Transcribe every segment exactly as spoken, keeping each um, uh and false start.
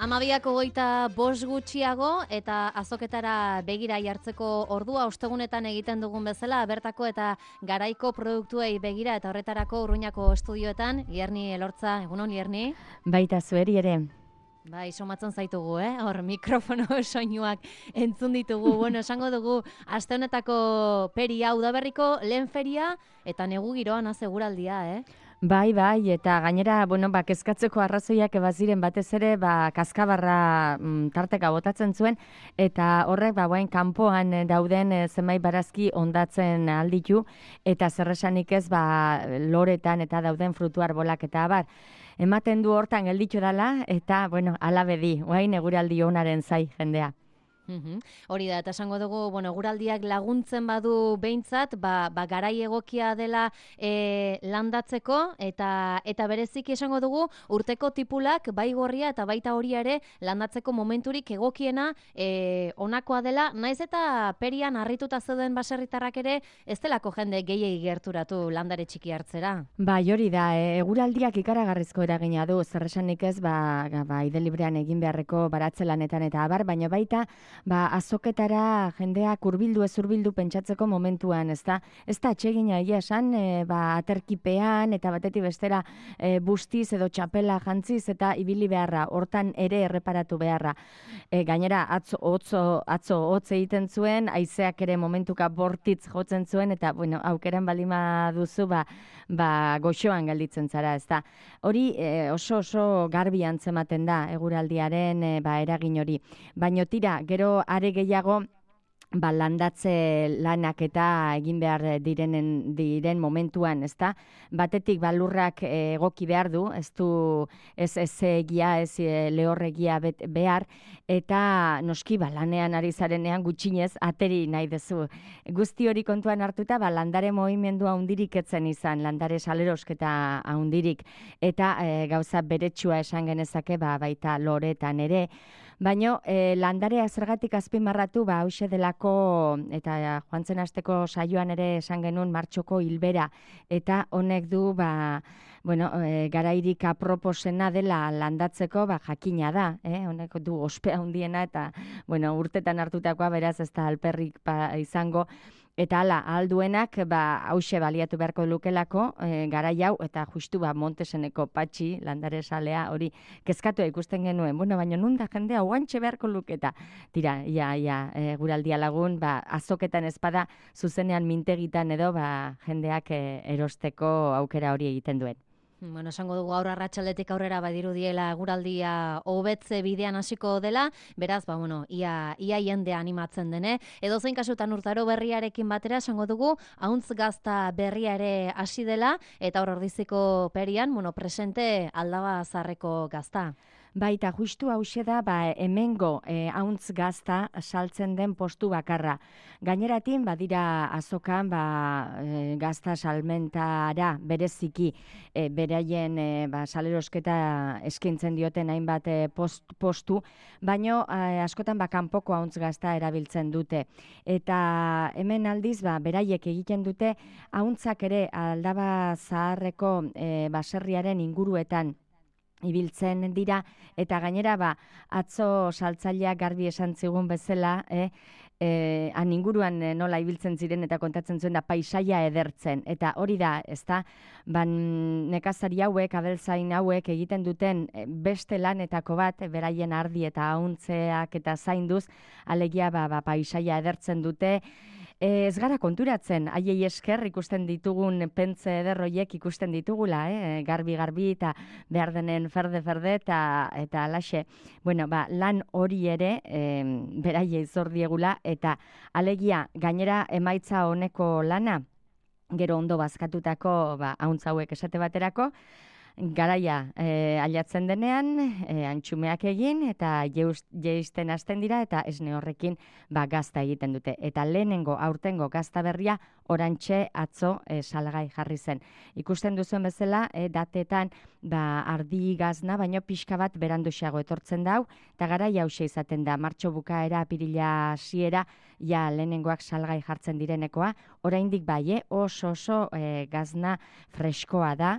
Amabiak hogeita bost gutxiago eta azoketara begira jartzeko ordua ostegunetan egiten dugun bezala bertako eta garaiko produktuei begira eta horretarako Urruñako estudioetan Lierni Elortza, egunon Lierni? Baita zueri ere. Bai, somatzen zaitugu, eh? Hor mikrofono soinuak entzun ditugu. Bueno, esango dugu aste honetako peria udaberriko lehen feria eta negu giroan azeguraldia, eh? Bai, bai, eta gainera, bueno, ba, kezkatzeko arrazoiak ebaziren batez ere, ba, kaskabarra mm, tarteka botatzen zuen, eta horrek, ba, bain, kanpoan dauden e, zenbait barazki ondatzen alditu, eta zerresanik ez, ba, loretan eta dauden frutu arbolak eta abar. Ematen du hortan gelditu dela, eta, bueno, alabedi, oain eguraldi honaren zai jendea. Uhum. Hori da, eta esango dugu, bueno, eguraldiak laguntzen badu behintzat, ba, ba garai egokia dela e, landatzeko, eta eta bereziki esango dugu, urteko tipulak bai gorria eta baita hori ere landatzeko momenturik egokiena e, onakoa dela, naiz eta perian harrituta zeuden baserritarrak ere, ez delako jende gehiegi gerturatu landare txiki hartzera. Bai, hori da, e, eguraldiak ikaragarrizko eragina du, zerresanik ez, ba, ba ide librean egin beharreko baratzelanetan eta abar, baina baita, ba, azoketara jendeak hurbildu ez hurbildu pentsatzeko momentuan, ezta? Ez da atsegina egia esan, e, ba, aterkipean eta batetik bestera e, bustiz edo txapela jantziz eta ibili beharra, hortan ere erreparatu beharra. E, gainera, atzo, otzo, atzo hotz egiten zuen, haizeak ere momentuka bortitz jotzen zuen, eta, bueno, aukeran balima duzu, ba, ba, goxoan gelditzen zara, ezta? Hori e, oso oso garbi antzematen da, eguraldiaren e, ba, eragin hori. Baino tira, gero are gehiago ba, landatze lanak eta egin behar direnen diren momentuan, ezta? Batetik ba, lurrak egoki behar du, ez du ez ez egia, ez lehorregia behar, eta noski ba, lanean ari zarenean gutxinez ateri nahi duzu. Guzti hori kontuan hartuta, ba, landare mugimendu handirik etzen izan, landare salerosketa handirik, eta e, gauza beretsua esan genezake ba, baita loretan ere. Baina e, landarea zergatik azpimarratu, ba, hause delako, eta joan zen asteko saioan ere esan genuen martxoko hilbera, eta honek du, ba, bueno, e, garairik aproposena dela landatzeko, ba, jakina da, eh? Honek du ospea handiena eta, bueno, urtetan hartutakoa beraz ez da alperrik ba, izango, eta hala, alduenak, ba, hause baliatu beharko lukelako, e, garai hau, eta justu ba, Monteseneko patxi, landare salea, hori, kezkatu ikusten genuen, bueno, baina nunda jendea guantxe beharko luketa. Tira, ia, ia, e, guraldia lagun, ba, azoketan ezpada, zuzenean mintegitan edo, ba, jendeak e, erosteko aukera hori egiten duen. Bueno, esango dugu aurra arratsaldetik aurrera badirudiela eguraldia hobetze bidean hasiko dela, beraz, ba, bueno, ia, ia jende animatzen dene. Edo zein kasutan urtaro berriarekin batera, esango dugu, ahuntz gazta berria ere hasi dela, eta hor ordiziko perian, bueno, presente aldaba zarreko gazta. Baita, justu hause da, ba, hemengo e, ahuntz gazta saltzen den postu bakarra. Gaineratin, badira azokan, ba, e, gazta salmentara bereziki e, beraien e, ba, salerosketa eskaintzen dioten hainbat e, post, postu, baino e, askotan ba, kanpoko ahuntz gazta erabiltzen dute. Eta hemen aldiz, ba, beraiek egiten dute, ahuntzak ere aldaba zaharreko e, baserriaren inguruetan ibiltzen dira, eta gainera ba, atzo saltzaileak garbi esan zigun bezala, eh, eh, han inguruan eh, nola ibiltzen ziren eta kontatzen zuen da paisaia edertzen, eta hori da, ezta, ban nekazari hauek, abeltzain hauek egiten duten eh, beste lanetako bat, eh, beraien ardi eta ahuntzeak eta zainduz, alegia ba, ba, paisaia edertzen dute. Ez gara konturatzen, haiei esker ikusten ditugun pentze ederroiek ikusten ditugula, eh? garbi-garbi eta behar denen ferde-ferde eta, eta alaxe. Bueno, ba, lan hori ere eh, beraiei zor diegula eta alegia gainera emaitza honeko lana, gero ondo bazkatutako ba, ahuntz hauek esate baterako, garaia e, aliatzen denean, e, antxumeak egin eta jeisten hasten dira eta esne horrekin ba, gazta egiten dute. Eta lehenengo aurtengo gazta berria orantxe atzo e, salgai jarri zen. Ikusten duzuen bezala, e, datetan ba, ardi gazna, baino pixka bat beranduxeago etortzen dau, eta garaia hause izaten da, martxo bukaera, apirila hasiera, ja lehenengoak salgai jartzen direnekoa, oraindik bai, oso oso e, gazna freskoa da,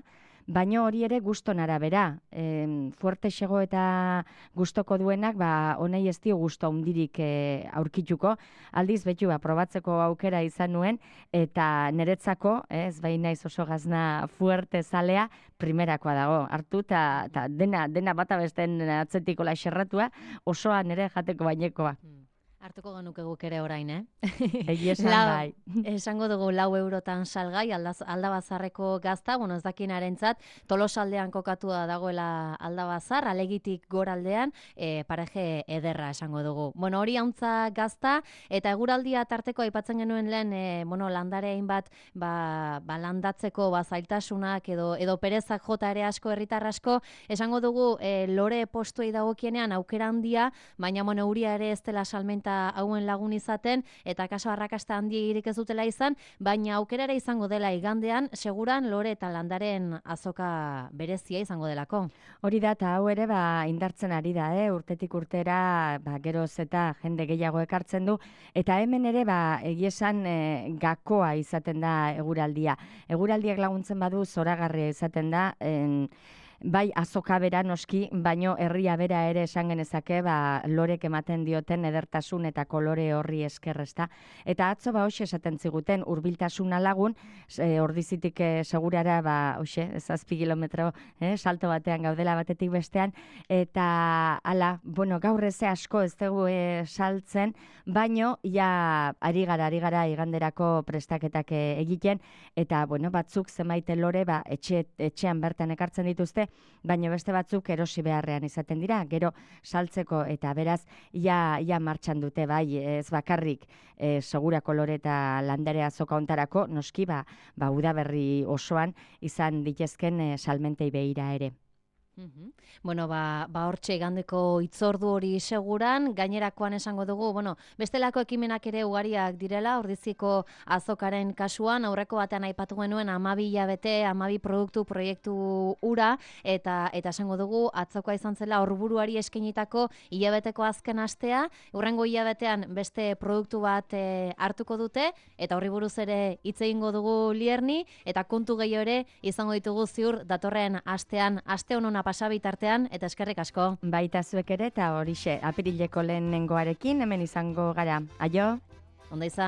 baino hori ere guston arabera. E, fuerte xego eta gustoko duenak, ba, honei ez dio gusto handirik e, aurkituko. Aldiz, betu, ba, probatzeko aukera izan nuen, eta niretzako, ez bai naiz oso gazna fuerte zalea, primerakoa dago. Hartu, eta dena, dena bata besten atzetiko laixerratua, osoa nire jateko bainekoa. Hartuko genuke guk ere orain, eh? Egi esan bai. Esango dugu lau eurotan salgai, aldaz, aldabazarreko gazta, bueno, ez dakinarentzat, tolosaldean kokatua dagoela aldabazar, alegitik goraldean, e, pareje ederra esango dugu. Bueno, hori hauntza gazta, eta eguraldia tarteko aipatzen genuen lehen, e, bueno, landarein bat, ba, ba landatzeko, ba, zailtasunak edo, edo perezak jota ere asko, herritar asko, esango dugu, e, lore postuei dagokienean aukera handia, baina, bueno, euria ere ez dela salmenta hauen lagun izaten, eta kaso arrakasta handiegirik ez dutela izan, baina aukerara izango dela igandean, seguran lore eta landaren azoka berezia izango delako. Hori da, eta hau ere ba, indartzen ari da, eh? Urtetik urtera ba, geroz eta jende gehiago ekartzen du, eta hemen ere ba, egiesan e, gakoa izaten da eguraldia. Eguraldiak laguntzen badu zoragarria izaten da, en, bai azoka bera noski, baino herria bera ere esan genezake, ba, lorek ematen dioten edertasun eta kolore horri esker, ezta. Eta atzo ba hoxe esaten ziguten hurbiltasuna lagun, e, ordizitik e, segurara ba hoxe, zazpi kilometro eh, salto batean gaudela batetik bestean, eta ala, bueno, gaur eze asko ez dugu e, saltzen, baino ja ari gara, ari gara iganderako prestaketak e, egiten, eta bueno, batzuk zenbait lore ba, etxe, etxean bertan ekartzen dituzte, baina beste batzuk erosi beharrean izaten dira, gero saltzeko eta beraz ja, ja martxan dute, bai, ez bakarrik e, segura kolore eta landare azoka ontarako, noski ba, ba udaberri osoan izan ditezken e, salmentei behira ere. Uhum. Bueno, ba, ba hortxe igandeko itzordu hori seguran, gainerakoan esango dugu, bueno, bestelako ekimenak ere ugariak direla, ordiziko azokaren kasuan, aurreko batean aipatu genuen amabi hilabete, amabi produktu proiektu ura, eta eta esango dugu, atzokoa izan zela horburuari eskenitako hilabeteko azken astea, hurrengo hilabetean beste produktu bat e, hartuko dute, eta horri buruz ere hitz egingo dugu Lierni, eta kontu gehiago ere izango ditugu ziur datorren astean, aste honona pasabitartean, eta eskerrik asko. Baita zuek ere, eta horixe, apirileko lehenengoarekin hemen izango gara. Aio? Onda izan.